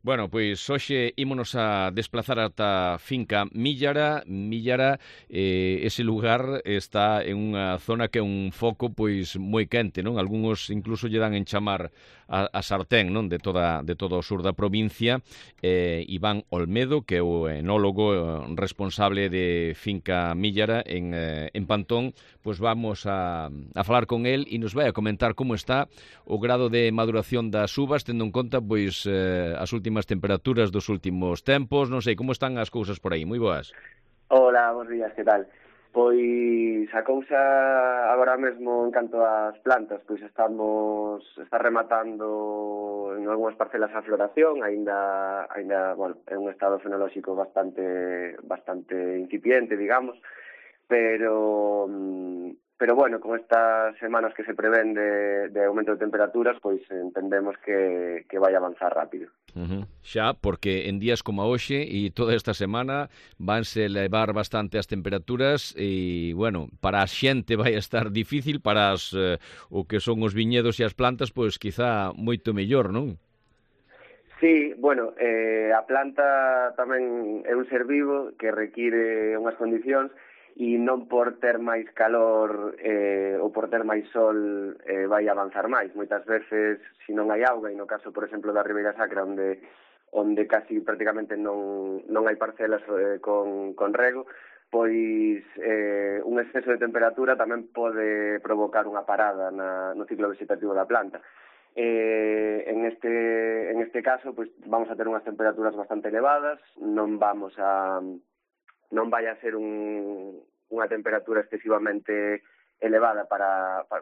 Bueno, pois hoxe ímonos a desplazar ata finca Millara. Millara, ese lugar está en unha zona que é un foco pois moi quente, non? Algúns incluso lle dan en chamar a sartén, non? De todo o sur da provincia. Iván Olmedo, que é o enólogo responsable de finca Millara en Pantón, pois vamos a falar con el e nos vai a comentar como está o grado de maduración das uvas, tendo en conta pois as últimas temperaturas dos últimos tempos. Non sei, como están as cousas por aí? Moi boas. Hola, bons días, que tal? Pois a cousa agora mesmo en canto ás plantas, pois está rematando en algunhas parcelas a floración, aínda, bueno, é un estado fenolóxico bastante incipiente, digamos, pero bueno, con estas semanas que se prevén de aumento de temperaturas, pois entendemos que vai avanzar rápido. Xa, porque en días como hoxe e toda esta semana vanse elevar bastante as temperaturas e, bueno, para a xente vai estar difícil, para o que son os viñedos e as plantas, pois quizá moito mellor, non? Sí, bueno, a planta tamén é un ser vivo que require unhas condicións e non por ter máis calor ou por ter máis sol vai avanzar máis. Moitas veces, se non hai auga, e no caso, por exemplo, da Ribeira Sacra, onde casi prácticamente non hai parcelas con rego, pois un exceso de temperatura tamén pode provocar unha parada no ciclo vegetativo da planta. En este caso, pois vamos a ter unhas temperaturas bastante elevadas, non vai a ser unha temperatura excesivamente elevada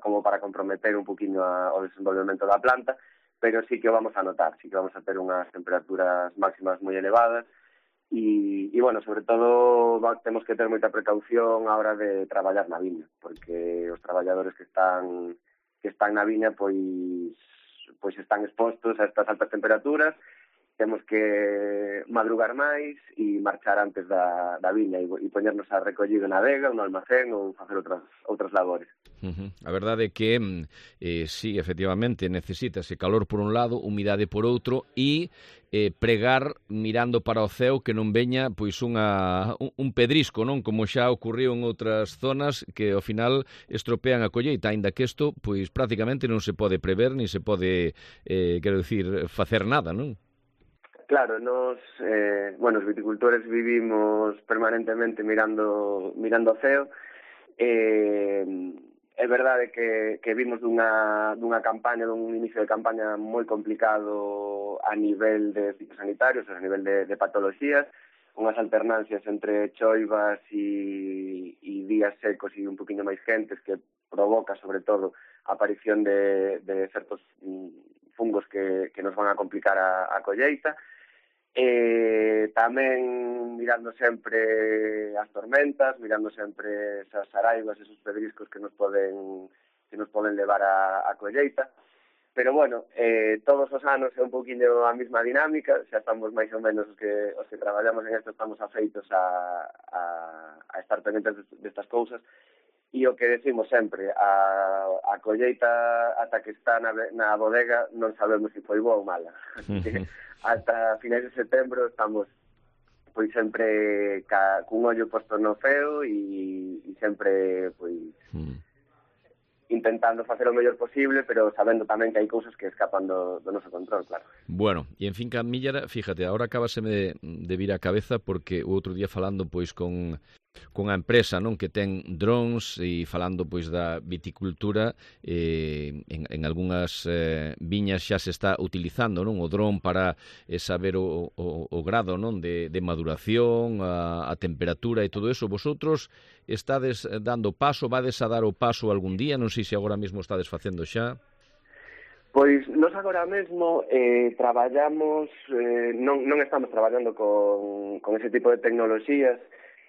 como para comprometer un poquinho o desenvolvemento da planta, pero sí que o vamos a notar, sí que vamos a ter unhas temperaturas máximas moi elevadas e bueno, sobre todo temos que ter moita precaución a hora de traballar na viña, porque os traballadores que están na viña pois están expostos a estas altas temperaturas. Temos que madrugar máis e marchar antes da viña e poñernos a recollido na adega, no almacén ou facer outras labores. A verdade é que sí, efectivamente, necesítase calor por un lado, humidade por outro e pregar mirando para o ceo que non veña pois un pedrisco, non? Como xa ocurriu en outras zonas que ao final estropean a colleita, aínda que isto pois prácticamente non se pode prever, ni se pode, quero dicir, facer nada, non? Claro, os viticultores vivimos permanentemente mirando o ceo. É verdade que vimos dunha campaña, dun inicio de campaña moi complicado a nivel de fitosanitarios, a nivel de patoloxías, unhas alternancias entre choivas e días secos e un poquinho máis quentes que provoca, sobre todo, a aparición de certos fungos que nos van a complicar a colleita. Tamén mirando sempre as tormentas, mirando sempre esas araivas, esos pedriscos que nos poden levar a colleita. Pero bueno, todos os anos é un poquinho a mesma dinámica, xa estamos máis ou menos os que traballamos en isto, estamos afeitos a estar pendentes destas cousas. E o que decimos sempre, a colleita ata que está na bodega non sabemos se foi boa ou mala. Ata finais de setembro estamos pois sempre cun ollo posto no ceo e sempre pois intentando facer o mellor posible, pero sabendo tamén que hai cousas que escapan do noso control, claro. Bueno, e en finca Millara, fíjate, agora acabaseme de vir a cabeza porque o outro día falando pois con a empresa, non, que ten drones e falando pois da viticultura, en algunhas viñas xa se está utilizando, non, o dron para saber o grado, non, de maduración, a temperatura e todo eso. Vosotros estades dando paso, vades a dar o paso algún día, non sei se agora mesmo estades facendo xa. Pois nós agora mesmo traballamos, non estamos traballando con ese tipo de tecnoloxías.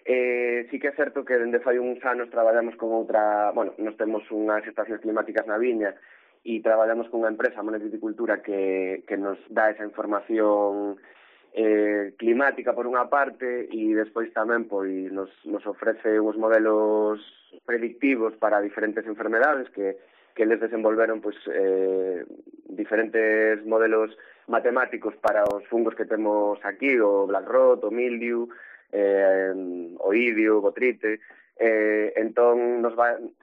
Sí que é certo que dende fai uns anos traballamos con outra, nós temos unhas estacións climáticas na viña e traballamos con unha empresa, Monet Viticultura, que nos dá esa información climática por unha parte e despois tamén pois nos ofrece uns modelos predictivos para diferentes enfermedades que eles desenvolveron pois diferentes modelos matemáticos para os fungos que temos aquí, o black rot, o mildiu, o idio, o botrite. Entón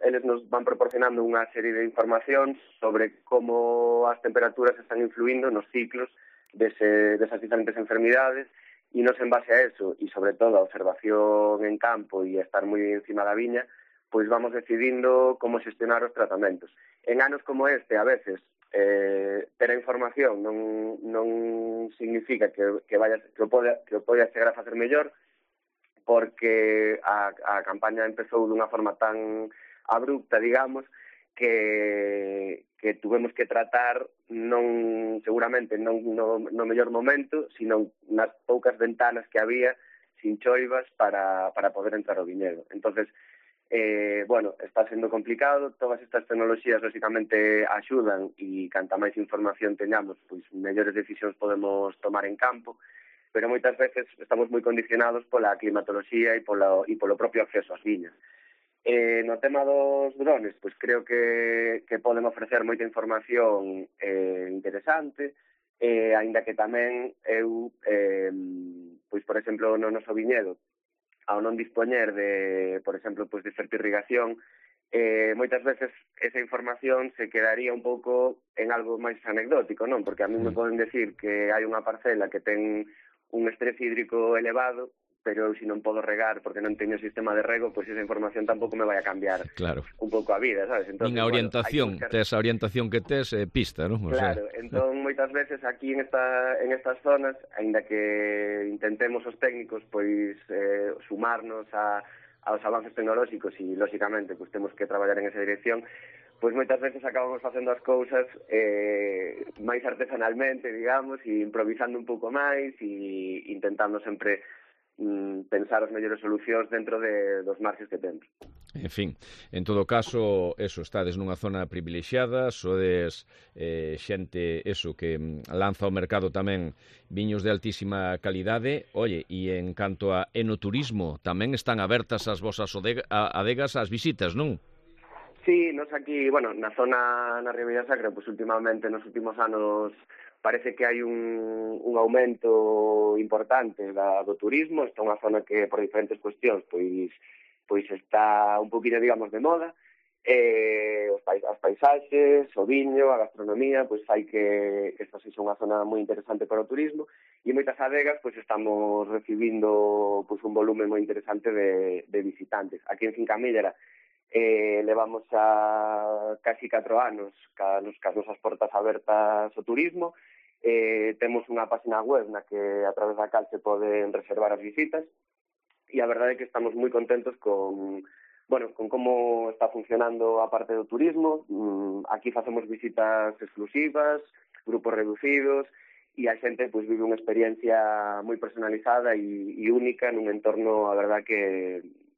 eles nos van proporcionando unha serie de informacións sobre como as temperaturas están influindo nos ciclos desas diferentes enfermidades, e nos en base a eso, e sobre todo a observación en campo e a estar moi encima da viña, pois vamos decidindo como xestionar os tratamentos. En anos como este, a veces, ter a información non significa que o poida chegar a facer mellor, porque a campaña empezou dunha forma tan abrupta, digamos, que tuvemos que tratar seguramente non no mellor momento, sino nas poucas ventanas que había sin choivas para poder entrar ao viñedo. Entonces, está sendo complicado. Todas estas tecnoloxías, lógicamente, axudan, e canta máis información teñamos, pois mellores decisións podemos tomar en campo, pero moitas veces estamos moi condicionados pola climatoloxía e polo propio acceso ás viñas. No tema dos drones, pois creo que poden ofrecer moita información interesante, aínda que tamén eu, pois por exemplo, no noso viñedo, ao non dispoñer de, por exemplo, pois de fertirrigación, moitas veces esa información se quedaría un pouco en algo máis anecdótico, non? Porque a mí me poden decir que hai unha parcela que ten un estrés hídrico elevado, pero se non podo regar porque non teño sistema de rego, pois esa información tampouco me vai a cambiar un pouco a vida, sabes? Entonces, nin a orientación, tes a orientación que tes, pista, non? Claro, entón moitas veces aquí en estas zonas, aínda que intentemos os técnicos pois sumarnos aos avances tecnolóxicos, e lógicamente pois temos que traballar en esa dirección, pois moitas veces acabamos facendo as cousas máis artesanalmente, digamos, e improvisando un pouco máis, e intentando sempre pensar as mellores solucións dentro dos marxes que temos. En fin, en todo caso, estades nunha zona privilexiada, sodes xente, que lanza ao mercado tamén viños de altísima calidade. Oye, e en canto a enoturismo, tamén están abertas as vosas adegas ás visitas, non? Sí, nos aquí, na zona, na Ribeira Sacra, pois últimamente, nos últimos anos, parece que hai un aumento importante do turismo. Está unha zona que, por diferentes cuestións, pois está un poquinho, digamos, de moda. As paisaxes, o viño, a gastronomía, pois fai que esta sexa unha zona moi interesante para o turismo, e moitas adegas pois estamos recibindo pois un volume moi interesante de visitantes. Aquí en Fincamíllera levamos a casi 4 anos cas nosas portas abertas ao turismo. Temos unha página web na que a través da cal se poden reservar as visitas, e a verdade é que estamos moi contentos con como está funcionando a parte do turismo. Aquí facemos visitas exclusivas, grupos reducidos, e a xente pois vive unha experiencia moi personalizada e única nun entorno, a verdade, que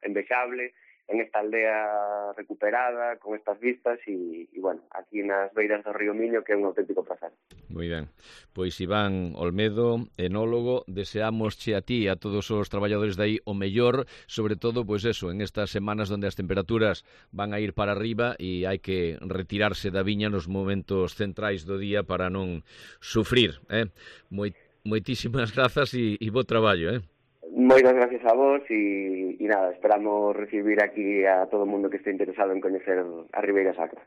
envexable, en esta aldea recuperada, con estas vistas, e aquí nas beiras do río Miño, que é un auténtico placer. Moi ben. Pois Iván Olmedo, enólogo, deseámosche a ti e a todos os traballadores de aí o mellor, sobre todo, en estas semanas onde as temperaturas van a ir para arriba e hai que retirarse da viña nos momentos centrais do día para non sufrir. Moitísimas grazas e bo traballo. Moitas gracias a vos, e nada, esperamos recibir aquí a todo o mundo que este interesado en coñecer a Ribeira Sacra.